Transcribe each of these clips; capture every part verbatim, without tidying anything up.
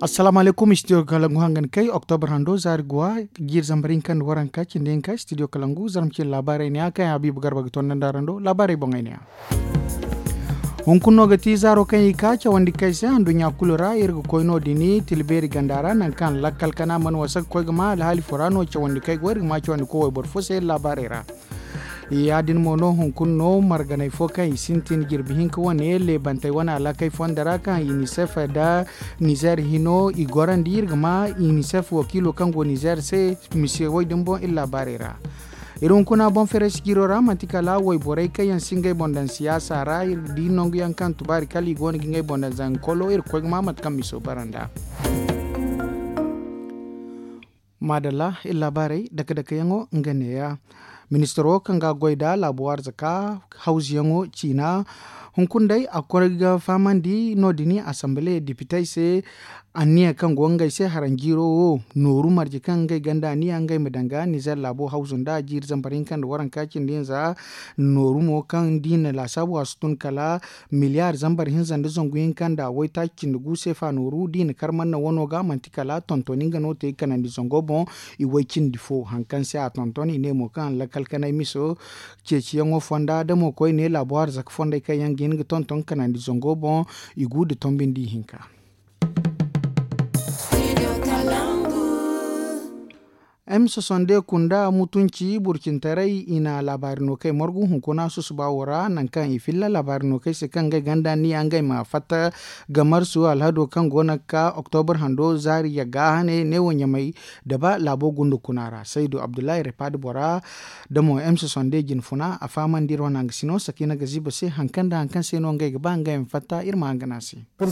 Assalaamu alaykum, studio kalangu hangan kay oktobra hando zaari guwa, jiiri zambar hinka nda waranka cindi hinka studio kalangu zarma cine laabaarey ne ya kaŋ yaŋ habiibu garba ga tondandi araŋ do laabaarey boŋey ne ya. Hunkuna no ga ti zaaro kaŋ i ka cawandi kay se anduɲɲa kulu ra iri ga koy no- din tilbeeri ganda ra nangu kaŋ lakkal kana mana wasa ga koy ga ma alhaali fo ra no cawandi kay go iri ga ma cawandi koy wayboro fo se iri laabaarey ra. Ya- din mo no hunkuna no marganey fo kaŋ i sintin jirbi hinka wane leebantey wane alakey fonda ra kaŋ inisef nda nizer hino i gorandi iri ga ma inisef wakiilo kaŋ go nizer se mise wo- din boŋ iri laabaarey ra. Iri hunkuna boŋ fereesi jiiro ra manti kala wayborey kaŋ yaŋ si ngey boŋ daŋ siyaasa ra iri ga di nangu yaŋ kaŋ tubaari kala i go no ga ngey boŋ daŋ zanga kolo iri ga koy ga ma mate kaŋ miso bara nd'a. Maadalla iri laabaarey dake dake yaŋo nga neeya. Ministaro kaŋ ga a goy nda laabu arzaka hawzuyaŋo ciina hunkuna day a koy ga fahamandi no- din asambale depitey se. Anniya kaŋ go ngey se haranjiiro wo nooru marje kaŋ ngey ganda anniya ngey ma daŋ ga nizer laabo hawzu nda jiiri zambar hinka nda waranka cindi hinza. Nooru mo kaŋ da i na laasaabu a si tun kala miliyaar zambar hinza nda zangu hinka nda waytaaci cindi gu seefa nooru da i na kar manna wano ga manti kala tontoni nga no te kanandi zango boŋ. I way cindi fo hari kaŋ se a tonton i ne mo kaŋ lakkal kanay miso ceeciyaŋo fonda da mo koyne laabu arzaka fondey kaŋ yaŋ ga hin ga tonton kanandi zango boŋ. I gu nda tombindi hinka. M soixante-deux kunda mutunci burcintaray i na laabaari no kay margu hunkuna susuba wo ra nangu kaŋ i filla laabaari no kay se kaŋ ngey ganda ni ya ngey ma fatta ga marsu alhado kaŋ go no ga ka oktobra hando zaari yagga hane neewo ɲamay da ba laabo gundu kuna ra saydu abdullahi repad bora da mo m soixante-deux jine funa a fahamandi iri wane hangasino sakiina ga ziba se hari kaŋ nda hari kaŋ se no ngey ga ba ngey ma fatta iri ma hangana se. Hari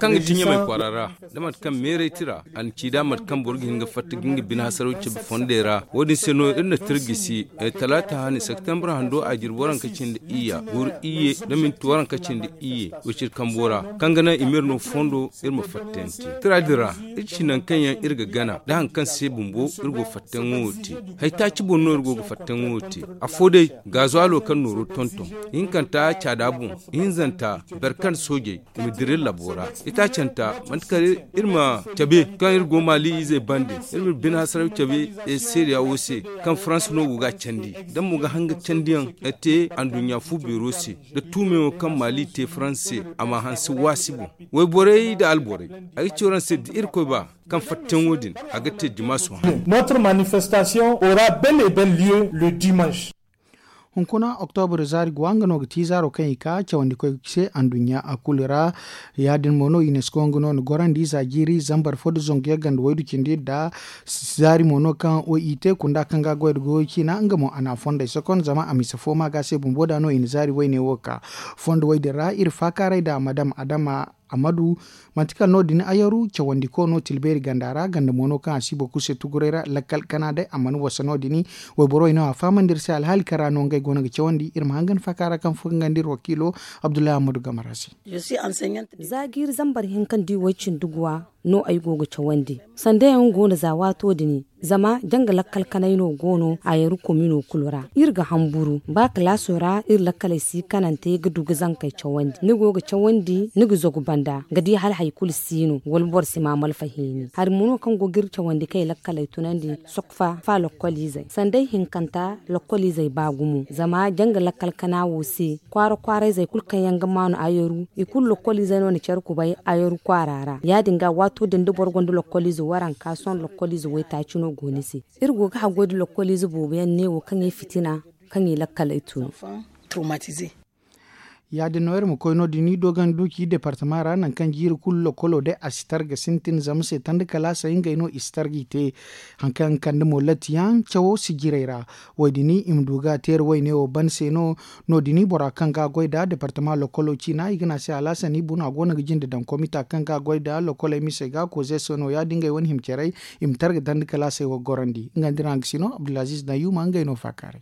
kaŋ ga ti ɲamay kwaara ra da mate kaŋ meeray tira a na ci da mate kaŋ boro ga hin ga fatta ga nga bine hasaraw cabe fondey ra. Wo- din se no iri na tira gisi talaata hane septembre hando a jirbi waranka cindi iyya guuru iyye da minti waranka cindi iyye wiciri kambo ra kaŋ ga naŋ i ma iri no fondo iri ma fatta yaŋ te. Tira din ra iri ci nangu kaŋ yaŋ iri ga gana da hari kaŋ se bumbo iri go fatta yaŋo wo te. Hari taaci boŋ no iri go ga fatta yaŋo wo te. Afo day gaazuwaalo kaŋ nooro tonton ihinkanta caada boŋ ihinzanta boro kaŋ soojey i ma dira iri labo ra. Itaacanta manti kala iri ma cabe kaŋ iri go maali izey bande iri ma bine hasaraw cabe seeriya wo se kaŋ farans no go ga a candi da mo ga hanga candiyaŋ te anduɲɲa fu beero se da tuumeyaŋo kaŋ maali te farans se a ma hanse waasi boŋ. Wayborey nda alborey ay ga ci waraŋ se da irkoy ba kaŋ fattayaŋo din a ga te dimaaso hane. Notre manifestation aura bel et bel lieu le dimanche. Hunkuna oktobra zaari guwa nga no ga ti zaaro kaŋ i ka cawandikoy se anduɲɲa a kulu ra. Ya- din mo no unesco nga no na gorandi za jiiri zambar fo nda zangu yagga nda waydu cindi nda zaari mo no kaŋ o i te kunda kaŋ ga a goy nda goyo ciina nga mo a na a fondey sokon zama a mise fo ma ga se bumbo da no i na zaari wayne wo ka fondo way din ra iri faakaaray nda madam adama amadu. Manti kala no- din ayaru cawandiko no tilbeeri ganda ra ganda mo no kaŋ a si boro kulu se tuguray ra lakkal kana day a mana wasa no- din. Wayboro i no a fahamandi iri se alhaali kaŋ ra no ngey go no ga cawandi iri ma hangan faakaara kaŋ furgandi iri wakiilo abdullahi amadu gamara se. Za jiiri zambar hinka nda i way cindi guwa no ay go ga cawandi. Sanda yaŋ go no za waato din zama janga lakkal kanay no go no a yaru komino kulu ra. Iri ga hamburu ba kalaaso ra iri lakkaley si kanante ga du ga zankey cawandi ni go ga cawandi ni ga zagu banda ga di hala hari kulu si no wala boro si ma malfa hini hari mo no kaŋ go ga iri cawandi kaŋ i lakkaley tunandi sokfa fa lokkoliizey sanday hinkanta lokkoliizey ba gumo zama janga lakkal kana wo se kwaara kwaarayzey kulu kaŋ yaŋ ga maanu ayaru i kulu lokkoliizey no na care kubay ayaru kwaara ra ya- din ga waato din da boro gonda lokkoliize waranka sohõ lokkoliize waytaaci no go ni se. Iri go ga haggoy nda lokkoliize boobo yaŋ neewo kaŋ i fitina kaŋ i lakkaley tun. Ya- din no iri ma koy no- din i doogandi duuci departama ra nangu kaŋ jiiri kulu lokkolo day a si targa sintin zama se tanda kalaasey ngey no i si targa i te. Hari kaŋ kande mo latti yaŋ cawo si jiray ra. Wo- din i ma du ga teeri wayne wo ban se no. No- din bora kaŋ ga a goy nda departama lokkolo ciina i ga ne a se alaasan i buna go no ga jinde daŋ komita kaŋ ga a goy nda lokkoley misey ga koze se no ya- din ngey wane hima caray. I ma targa dandi kalaasey wo ga gorandi nga nda iri hangasino abdulaziiz nayyuma ngey no faakaaray.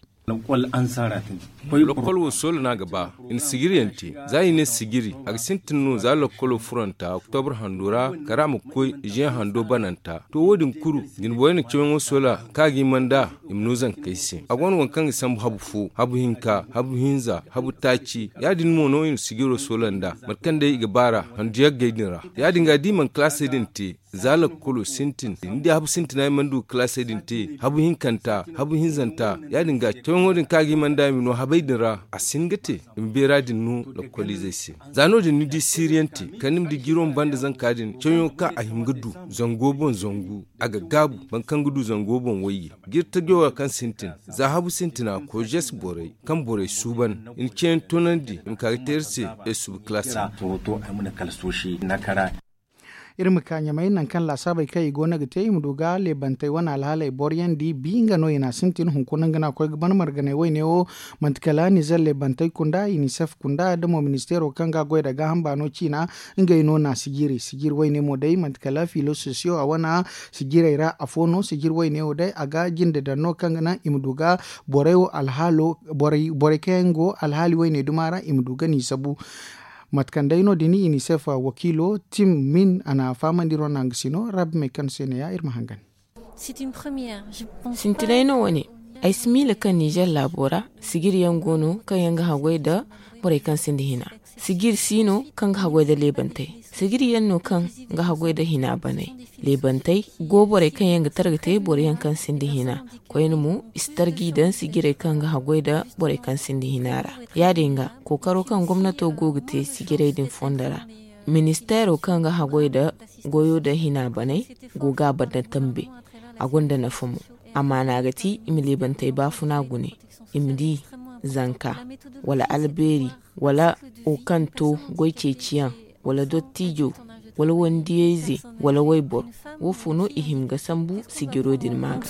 Lakkol wo soola no a ga ba i na sijiri yaŋ te. Za i ne sijiri a ga sintin no za lakkolo furanta oktobra hando ra kala a ma koy ziyaŋ hando bananta. To wo- din kulu jinboyey na cawyaŋo soola kaŋ a ga hima nd'a i ma no zankey se. A go no waŋ kaŋ ga sambu habu fo, habu hinka, habu hinza, habu taaci. Ya- din mo no i na sijiro soola nd'a mate kaŋ day i ga baar'a handu yaggey din ra. Ya- din ga da i mana kalaasey din te za lakkolo sintin ni di habu sintina i mana du ga kalaasey din te habu hinkanta, habu hinzanta. Ya- din ga cawyaŋo din kaŋ a ga hima nd'a i ma no habey din ra a si hin ga te. I ma beera din no lakkoliizey se. Za no- din ni di siiriyaŋ te kala ni ma di jiro ma banda zanka din cawyaŋo kaŋ a hima ga du zango boŋ zangu a ga gaabu boro kaŋ ga du zango boŋ wayye. Jiri tajo ra kaŋ sintin za habu sintina koyzes borey kaŋ borey suuban i na ceeyaŋ toonandi i ma ka ga te iri se. Ay suba kalaasi. Iri ma ka ɲamay nangu kaŋ laasaabey kaŋ i go no ga te i ma du ga leebantey wane alhaaley boro yaŋ di bi nga no i na a sintin hunkuna nga no a koy ga ban marganay wayne wo. Manti kala nizer leebantey kunda inisef kunda da mo ministeero kaŋ ga a goy nda gaaham baano ciina. Ngey no na sijiri sijiri wayne mo day manti kala filososiyo a wane sijirey ra afo no sijiri wayne wo day a ga jinde daŋ no kaŋ ga naŋ i ma du ga borey wo alhaalo borey kaŋ yaŋ go alhaali wayne duma ra i ma du ga n'i sabu. Mate kaŋ day no- din inisef wakiilo tim min a na fahamandi iri wane hangasino rabbi me kaŋ se ne ya iri ma hangan. Sintinay no wane. Ay si miila kaŋ nizer laabo ra sijiri yaŋ go no kaŋ yaŋ ga haggoy nda borey kaŋ sinda hina. Sijiri si no kaŋ ga haggoy nda leebantey. Sijiri yaŋ no kaŋ ga haggoy nda hina baney. Leebantey go borey kaŋ yaŋ ga targa te boro yaŋ kaŋ sinda hina. Koyne mo i si targa i daŋ sijirey kaŋ ga haggoy nda borey kaŋ sinda hina ra. Ya- din ga kookaro kaŋ gomnato go ga te sijirey din fondo ra. Ministeero kaŋ ga haggoy nda goyo nda hina baney go ga a banda tambe. A gonda nafa mo. Amaana ga ti i ma leebantey baafuna gune i ma di zanka wala albeeri wala wo kaŋ to goy ceeciyaŋ wala dottijo wala wandiyayze wala wayboro. Woofo no i hima ga sambu sijiro din ma ga.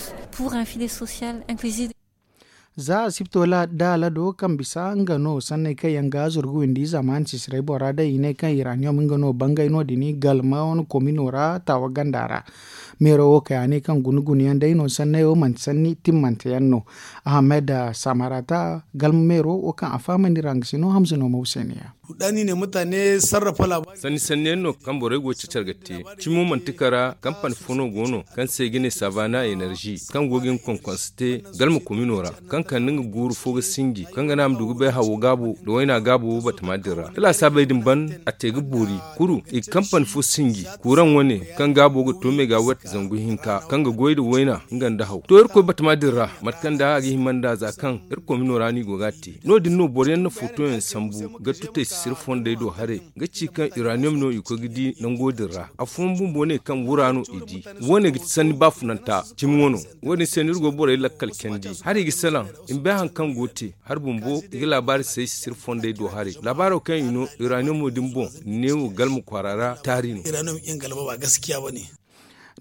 Za asibto da alado kaŋ bisa nga no sanney kaŋ yaŋ ga zurgu windi zamaani sisirey bora day i ne kaŋ iraniyom nga no bangay no- din galma wane komino ra taawa ganda ra. Meero wo kay a ne kaŋ guna guna yaŋ day no sanney wo manti sanni timmante yaŋ no. Ahamed samarata galma meero wo kaŋ a fahamandi ra nga si no hamza no ma wo se ne ya. Sanni sanni yaŋ no kaŋ borey go ga cacar ga te. Cimo manti kara kampani fo no go no kaŋ se i ga ne savana enerzi kaŋ go ga hin konkonse te galma komino ra kaŋ kande nga guuru fo ga sinji kaŋ ga naŋ a ma du ga bay hawo gaabo nda wayna gaabo batama din ra da laasaabey din ban a te ga boori. Kuru i ga kampani fo sinji kuuraŋ wane kaŋ gaabo ga to me ga wet zangu hinka kaŋ ga goy nda wayna nga nda haw to irkoy batama din ra mate kaŋ da a ga hima nd'a za kaŋ iri komino ra no i go ga a te. No- din no boro yaŋ na foto yaŋ sambu ga tutay sisiri fondey do haray ga ci kaŋ iraniyom no i koy ga di nango din ra. Afooyaŋ bumbo ne kaŋ wura no i di. Wo- ne ga ti sanni baafunanta cimi wano. Wo- din se no iri go ga borey lakkal candi hari i ga salaŋ i ma bay hari kaŋ go ga te. Hari bumbo i ga laabaari say sisiri fondey do haray laabaaro kaŋ i no iraniyom din boŋ neewo galma kwaara ra taari no.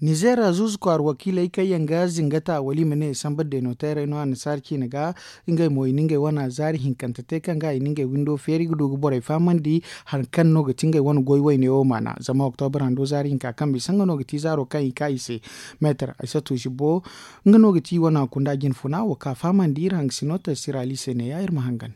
Nizer zuuzu kwaara wakiiley kaŋ yaŋ ga zingata wala i ma ne sambu da denoteerey no annasaara ciine ga. Ngey mo i na ngey wane zaari hinkante te kaŋ ga i na ngey windo feeri ga du ga borey fahamandi hari kaŋ no ga ti ngey wane goy wayne wo maana zama oktobra hando zaari hinka kaŋ bisa nga no ga ti zaaro kaŋ i ka i se. Meetar aysatu zibo nga no ga ti i wane kunda jinfuna wo ka fahamandi iri hangasino tarsira ali se ne ya iri ma hangan.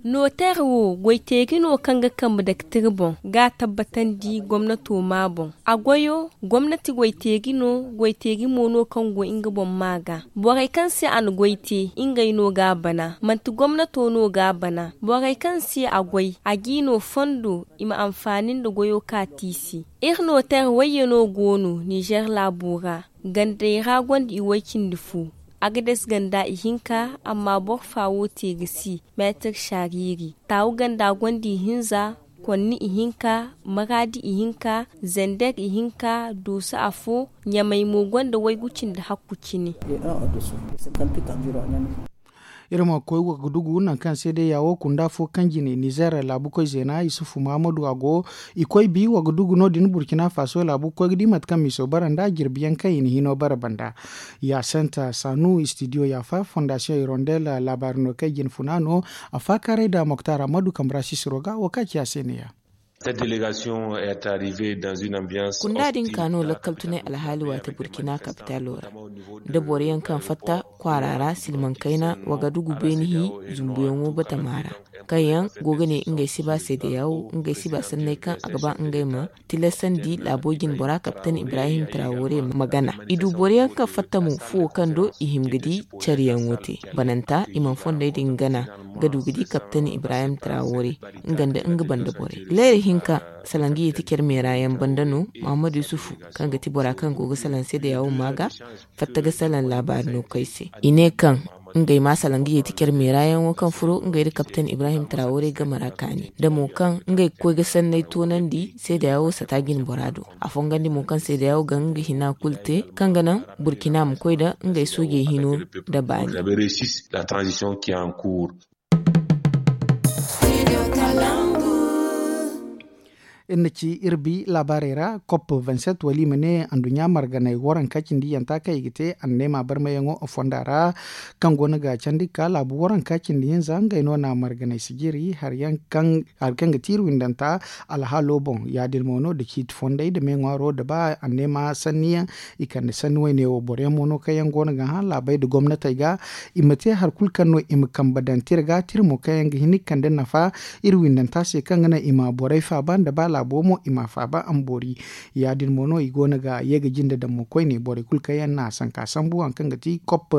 Noteer wo goyteeri no kaŋ ga kambe daktir boŋ ga a tabbatandi gomnato ma boŋ. A goyo gomnati goyteeri no. Goyteeri mo no kaŋ go nga boŋ ma ga borey kaŋ se a na goy te ngey no ga a bana manti gomnato no ga a bana. Borey kaŋ se a goy a g'i no fondo i ma anfaani nda goyo ka ti i se. Iri noteer wayye no go no nizer laabo ra. Gandey ra gonda i way cindi fo. Agades ganda ihinka amma boro fa wo te ga si meetir sariiri taawu ganda gonda ihinza konni ihinka maraadi ihinka zender ihinka dooso afo ɲamay mo gonda waygu cindi hakku cine. Iri ma koy wagadugu nangu kaŋ se day ya wo kunda fo kaŋ jine nizer laabu koy zeena isufu mahamadu a go. I koy bi wagadugu no- din burkina faso laabu ga koy ga di mate kaŋ miso bara nda jirbi yaŋ kaŋ i na hino bara banda. Ya senta sanu studio ya fa fondasiyoŋ irondel laabaari no kaŋ i jine funa no. A faakaaray nda moktar ammadu kambura sisiro ga wo ka ci a se ne ya. Kunda din ka no lakkal tunay alhaali waati burkina kapitalo ra nda boro yaŋ kaŋ fatta. kwaara ra silmaŋ kayna wagadugu beeni hi zumbuyaŋo batama ra, kaŋ yaŋ go ga ne ngey si ba seedeyawo ngey si ba sanney kaŋ a ga ba ngey ma tilasandi laabo jinbora kapten ibrahim trawore ma gana. I du boro yaŋ kaŋ fatta mo fuwo kaŋ do i hima ga di care yaŋo te. Bananta i mana fondey din gana ga du ga di kapten ibrahim trawore nga nda nga banda borey. Leera hinka salangiye ti care meera yaŋ banda no, muhammad yusufu, kaŋ ga ti bora kaŋ go ga salaŋ seedeyawo ma ga fatta ga salaŋ laabaari no koy se. I ne kaŋ ngey ma salaŋ ga yeeti care meera yaŋo kaŋ furo ngey nda kapten ibrahim trawore game ra kaani da mo kaŋ ngey ga koy ga sanney toonandi seedeyawo sata jinbora do. A fongandi mo kaŋ seedeyawo ga nga hina kulu te kaŋ ga naŋ burkina ma koy nda ngey soojey hino nda baani. Iri na ci iri bi laabaarey ra kop vingt-sept wala i ma ne anduɲɲa marganay waranka cindi yanta kaŋ i ga te anneema barmayaŋo fonda ra, kaŋ go no ga candi ga ka laabu waranka cindi hinza ngey no na marganay sijiri hari kaŋ ga ti iri windanta alhaalo boŋ. Ya- din mo no da ciiti fondey da me ŋwaaro da ba anneema sanni yaŋ. I kande sanni wayne wo boro yaŋ mo no kaŋ yaŋ go no ga hã laabey nda gomnatey ga i ma te hari kulu kaŋ no i ma kambe daŋ tira ga tira mo kaŋ yaŋ ga hin ga kande nafa iri windanta se kaŋ ga naŋ i ma borey faaba nda ba laabo mo i ma a faaba a ma boori. Ya- din mo no i go no ga ye ga jinde daŋ mo koyne borey kulu kaŋ yaŋ na sanka sambu hari kaŋ ga ti kop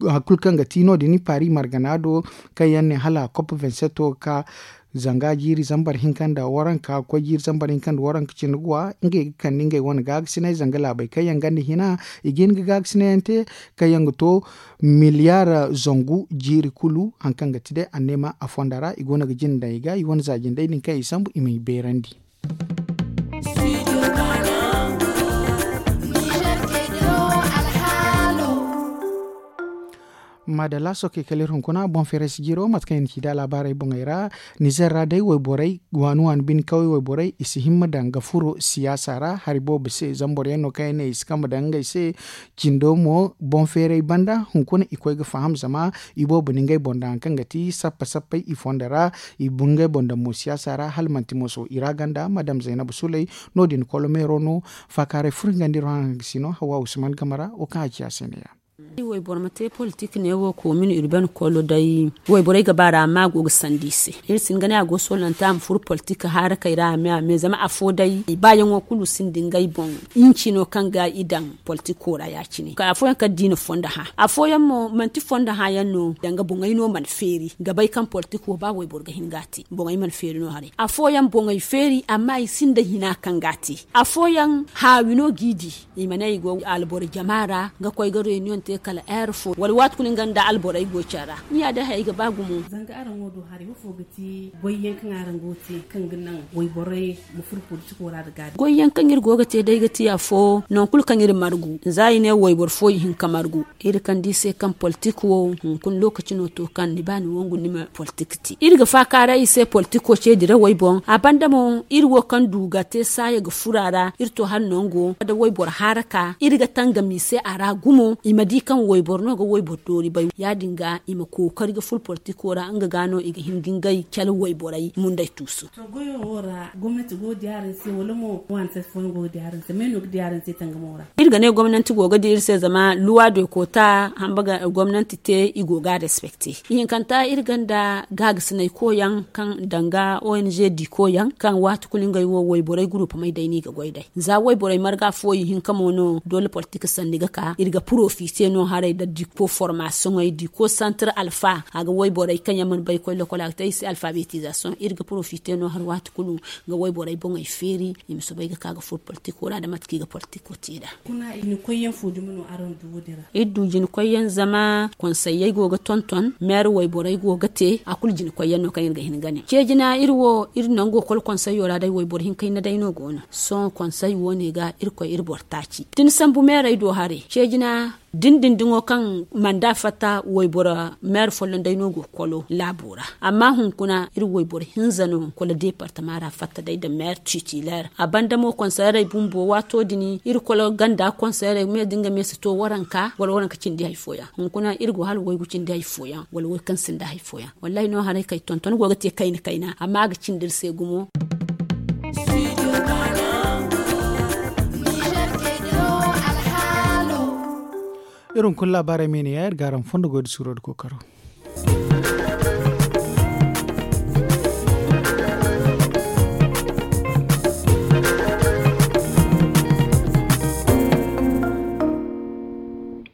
hari kulu kaŋ ga ti no- din paari margana do kaŋ yaŋ ne hala kop vingt-sept wo ga ka zanga jiiri zambar hinka nda waranka koy jiiri zambar hinka nda waranka cindi ga wa ngey ga kande ngey wane gaagasinay zanga laabey kaŋ yaŋ ganda hina i ga hin ga gaagasinay yaŋ te kaŋ yaŋ ga to miliyar zangu jiiri kulu hari kaŋ ga ti day anneema a fonda ra i go no ga jinde daŋ i ga i wane za jindey din kaŋ i sambu i ma i beerandi. Maadalla sookey kala iri hunkuna boŋ feeray si jiiro mate kaŋ i na ci da laabaarey boŋey ra. Nizer ra day wayborey waani waani bine kawey wayborey i si himma daŋ ga furo siyaasa ra hari boobo se zama boro yaŋ no kaŋ yaŋ ne i si kambe daŋ ngey se. Cindo mo boŋ feeray banda hunkuna i koy ga faham zama i boobo na ngey boŋ daŋ hari kaŋ ga ti sappa sappey i fondo ra. I bungay boŋ daŋ mo siyaasa ra hala manti moso i ra ganda madam zaynabu suley. No- din kolomeero no faakaaray furo hingandi iri haŋ haŋ ga si no hawa usman game ra wo kaŋ a ci a se ne- ya. Wayboro ma te politik ne wo koomin urbaine kolo day. Wayborey ga ba ra amma a go ga sandi i se. Iri si hin ga ne a go solonta a ma furo politik haarakey ra a me a me zama afo day baayaŋo kulu sinda ngey boŋ. Hinci no kaŋ ga i daŋ politiko ra ya- cine afooyaŋ kala da i na fondo hã afooyaŋ mo manti fondo hã yaŋ no danga boŋey no mana feeri ga bay kaŋ politiko ba wayboro ga hin ga a te boŋey mana feeri no haray afooyaŋ boŋey feeri amma i sinda hina kaŋ ga a te. Afooyaŋ haawi no g'i di i ma ne i go alboro jama ra ga koy ga reunion te kala heure fo wala waati kulu nga nda alborey go care ra. Ni ya day hayey ga ba gumo. Zanga araŋ wo do haray ifo ga ti goyyaŋ kaŋ araŋ go ga te kaŋ ga naŋ wayborey ma furo politiko ra nda gaabi? Goyyaŋ kaŋ iri go ga te day ga ti afo nangu kulu kaŋ iri margu za i ne wayboro fo i hin ga margu. Iri kaŋ di se kaŋ politik wo hunkuna lokaci no to kaŋ ni ba ni wangu ni ma politik te iri ga faakaaray i se politiko ce dirawey boŋ a banda mo iri wo kaŋ du ga te saaya ga furo a ra iri to hala nango da wayboro haaraka iri ga tangam i se a ra gumo i ma di kaŋ wayboro no ga wayboro doori bay ya- din ga i ma kookari ga furo politiko ra nga ga no i ga hin ga ngey cala wayborey mundey tuusu. To goyo wo ra gomnati go ga di araŋ se wala mo waani se fooyaŋ go ga di araŋ se me no ga di araŋ se tangamo ra? Iri ga ne gomnanti go ga di iri se zama luwa doy koota hamba ga gomnanti te i go ga a respekte. Ihinkanta iri ganda gaagasinay koyaŋ kaŋ danga ong di koyaŋ kaŋ waati kulu ngey wo wayborey guruupamey day no i ga goy day za wayborey marga fo ihinka mo no doole politik sanni ga ka iri ga porofite no haray nda diko formasiyoŋey diko santir alfa a ga wayborey kaŋ yaŋ mana bay ga koy lokol a ga te i se alfabetizasoŋ iri ga porofite no hari waati kulu ga wayborey boŋey feeri i ma soobay ga ka ga furo politiko ra nda mate kaŋ i ga politiko te nd'a. Kuna i na koyyaŋ fo dumi no araŋ du wo- din ra? Iri du jina koyyaŋ zama konsayey go ga tonton meera wayborey go ga te a kulu jina koyyaŋ no kaŋ iri ga hin ga ne ce jina iri wo iri nango kolo konsayo ra day wayboro hinka hinne day no go no. Sohõ konsay wo- ne ga iri koy iri boro taaci da ni sambu meerey do haray ce jina dindindiŋo kaŋ manda fatta wayboro meer folloŋ day no go ga kolo laabo ra. Amma hunkuna iri wayboro hinza no kolo deepartama ra fatta day nda meer titileer a banda mo konseerey bumbo waato din iri kolo ganda konseerey me da nga me si to waranka wala waranka cindi hari fooyaŋ hunkuna iri go hala waygu cindi hari fooyaŋ wala way kaŋ sinda hari fooyaŋ. Wallahi no haray kay tonton go ga te kayna kayna amma a ga cindi iri se gumo. Iri hunkuna laabaarey me ne ya iri ga araŋ fondo goy da suuro da kookaro.